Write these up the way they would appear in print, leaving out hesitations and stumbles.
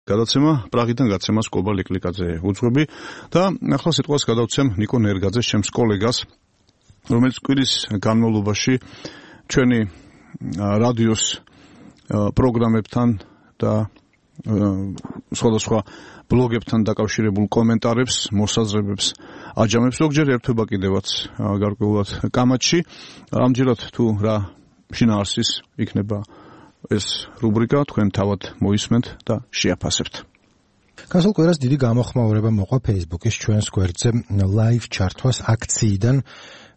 გადაცემა პრაღიდან გაცემას კობა ლიკლიკაძე უძღვები და ახლა სიტყვას გადავცემ ნიკო ნერგაძეს, ჩემს კოლეგას, რომელიც კვირის განმავლობაში ჩვენი რადიოს პროგრამებთან და სხვადასხვა ბლოგებთან დაკავშირებულ კომენტარებს, მოსაზრებებს აჯამებს, ზოგჯერ ერთვება კიდევაც გარკვეულად კამათში. ამჯერად თუ რა შინაარსის იქნება ეს რუბრიკა, თქვენ თავად მოისმენთ და შეაფასებთ. გასულ კვირას დიდი გამოხმაურება მოყვა Facebook-ის ჩვენს გვერდზე live ჩართვას აქციიდან,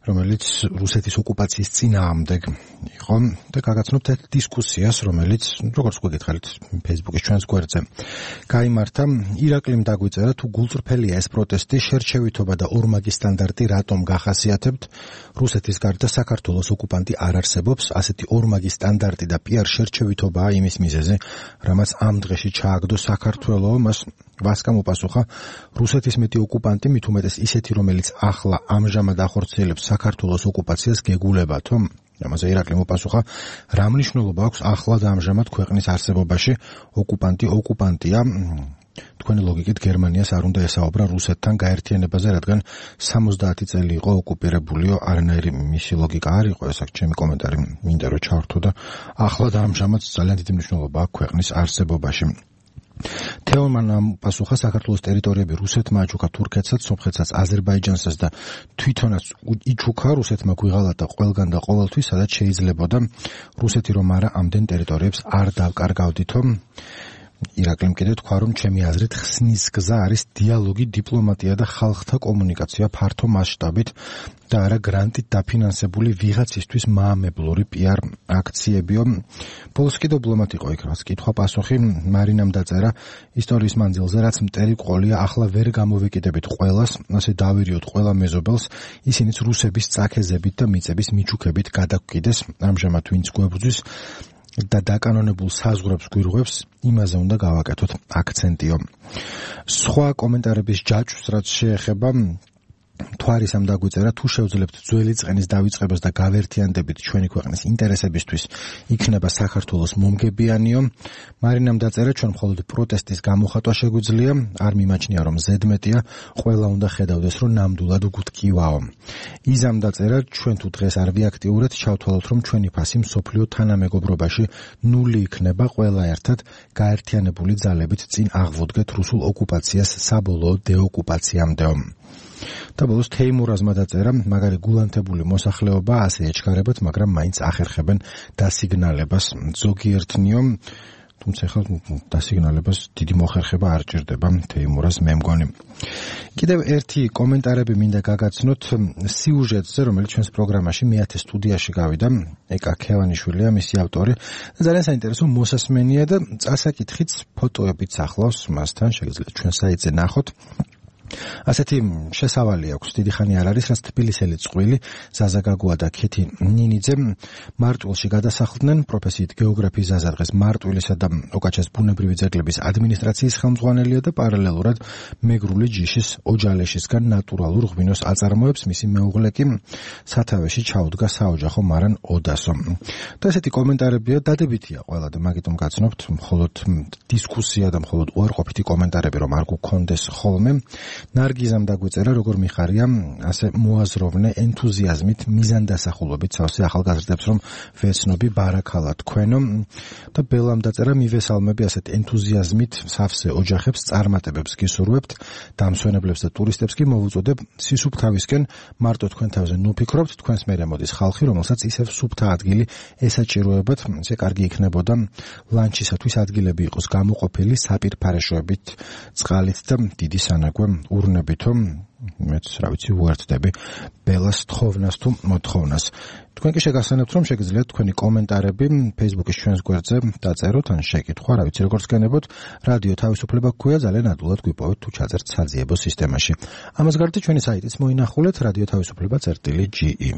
რომელიც რუსეთის ოკუპაციის წინააღმდეგ იყო და გაგაცნობთ ერთ დისკუსიას, რომელიც როგორც გეკითხებით Facebook-ის ჩვენს გვერდზე გაიმართა. ირაკლიმ დაგვიწერა, თუ გულწრფელია ეს პროტესტი, შერჩევითობა და ორმაგი სტანდარტი რატომ გახასიათებთ? რუსეთის გარდა საქართველოს ოკუპანტი არ არსებობს, ასეთი ორმაგი სტანდარტი და პიარ შერჩევითობაა იმის მიზეზი, რამაც ამ დღეში ჩააგდო საქართველო. მას ვასკამ უპასუხა, რუსეთის მეტი ოკუპანტი, მით უმეტეს ისეთი, რომელიც ახლა ამჟამად ახორციელებს საქართველოს ოკუპაციას, გეგულებათო? ამაზე ირაკლიმ უპასუხა, რა მნიშვნელობა აქვს ახლა და ამჟამად ქვეყნის არსებობაში? ოკუპანტია. თქვენი ლოგიკით გერმანიას არ უნდა ესაუბრა რუსეთთან გაერთიანებაზე, რადგან 70 წელი იყო ოკუპირებულიო, არანაირი მისი ლოგიკა არ იყო, ეს აქ ჩემი კომენტარი მინდა რომ ჩავართო და ახლა და ამჟამად ძალიან დიდი მნიშვნელობა აქვს ქვეყნის არსებობაში. თეომანამ პასუხა, საქართველოს ტერიტორიები რუსეთმა აჩუქა თურქეთსაც, სომხეთსაც, აზერბაიჯანსაც და თვითონაც იჩუქა რუსეთმა გვიღალა და ყველგან და ყოველთვის, სადაც შეიძლებოდა. რუსეთი რომ არა ამდენ ტერიტორიებს არ დავკარგავდითო. ირაკლიმ კიდევ თქვა, რომ ჩემი აზრით ხსნის გზა არის დიალოგი, დიპლომატია და ხალხთა კომუნიკაცია ფართო მასშტაბით და არა გრანტით დაფინანსებული ვიღაცისთვის მაამებლური პიარ აქციებიო. ბოლოს კი დიპლომატი იყო იქ, რაც კითხვა პასუხი მარინამ დაწერა, ისტორიის მანძილზე რაც მტერი ყოლია, ახლა ვერ გამოვეკიდებით ყველას, ასე დავირიოთ ყველა მეზობელს, ისინიც რუსების წაქეზებით და მიწების მიჩუქებით გადაგვკიდეს. ამჟამად ვინც გვებრძვის და დაკანონებულ საზღვრებს გვირღვევს, იმაზე უნდა გავაკეთოთ აქცენტიო. სხვა კომენტარების ჯაჭვს რაც შეეხება, თვარისამ დაგვიწერა, თუ შევძლებთ ძველი წყენის დავიწყებას და გავერთიანდებით ჩვენი ქვეყნის ინტერესებისთვის, იქნება საქართველოს მომგებიანიო. მარინამ დაწერა, ჩვენ მხოლოდ პროტესტის გამოხატვა შეგვიძლია, არ მიმაჩნია რომ ზედმეტია, ყველა უნდა ხედავდეს რომ ნამდვილად გვტკივაო. იზამ დაწერა, ჩვენ თუ დღეს არ ვიაქტიურეთ, ჩავთვალოთ რომ ჩვენი ფასი მსოფლიო თანამეგობრობაში ნული იქნება, ყველა ერთად გაერთიანებული ძალებით წინ აღვუდგეთ რუსულ ოკუპაციას საბოლოო დეოკუპაციამდეო. და ბოლოს თეიმურაზმა დაწერა, მაგარი გულანთებული მოსახლეობა ასე ეჩქარებათ, მაგრამ მაინც ახერხებენ დასიგნალებას. ზოგიერთნიო, თუმცა ხა დასიგნალებას დიდი მოხერხება არ ჭირდება, თეიმურაზ მე მგონი. კიდევ ერთი კომენტარები მინდა გაგაცნოთ სიუჟეტზე, რომელიც ჩვენს პროგრამაში მეათე სტუდიაში გავიდა, ეკა ქევანიშვილია მისი ავტორი. ძალიან საინტერესო მოსასმენია და წასაკითხიც ფოტოებით ახლავს მასთან, შეგიძლიათ ჩვენ საიტზე ნახოთ. ასეთი შესავალი აქვს, დიდი ხანი არ არის, რაც თბილისელი წყვილი ზაზა გაგუა და ქეთი ნინიძე მარტვილში გადასახლდნენ, პროფესიით გეოგრაფიის ზაზა დღეს მარტვილისა და ოკაჩეს ბუნებრივი ძეგლების ადმინისტრაციის ხელმძღვანელია და პარალელურად მეგრული ჯიშის ოჯალეშისგან ნატურალურ ღვინოს აწარმოებს, მისი მეუღლე კი სათავეში ჩაუდგა საოჯახო მარან ოდასო. და ესეთი კომენტარებია, დადებითია ყველა და მაგიტომ გაცნობთ, მხოლოდ დისკუსია და მხოლოდ უარყოფითი კომენტარები რომ არ გქონდეს ხოლმე. ნარგიზამ დაგვიწერა, როგორ მიხარია, ასე მოაზროვნე ენთუზიაზმით, მიზანდასახულობით სავსე ახალგაზრდებს, რომ ვეცნობი ბარაქალა თქვენო. და ბელამ დაწერა, მივესალმები ასეთ ენთუზიაზმით სავსე ოჯახებს, წარმატებებს გისურვებთ, დამსვენებლებს და ტურისტებს კი მოვუწოდებ სისუფთავისკენ, მარტო თქვენ თავზე ნუფიქრობთ, თქვენს მერე მოდის ხალხი, რომელსაც ისევ სუფთა ადგილი ესაჭიროებათ, ესე კარგი იქნებოდა ლანჩისათვის ადგილები იყოს გამოყოფილი საპირფარეშოებით, წყალით და დიდი სანაგვე ურნებითო, მეც რა ვიცი უერთდები ბელას თხოვნას თუ მოთხოვნას. თქვენ კი შეგახსენებთ, რომ შეგიძლიათ თქვენი კომენტარები Facebook-ის ჩვენს გვერდზე დაწეროთ, ან შეკითხვა, რა ვიცი როგორც გქონებოთ, რადიო თავისუფლება გქვია, ძალიან ადვილად გვიპოვეთ თუ ჩაწერთ საძიებო სისტემაში. ამას გარდა ჩვენი საიტიც მოინახულეთ, რადიო თავისუფლება.ge.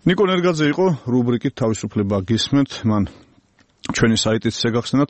ნიკო ნერგაძე იყო, რუბრიკით თავისუფლება გისმენთ, მან ჩვენი საიტიც შეგახსენათ,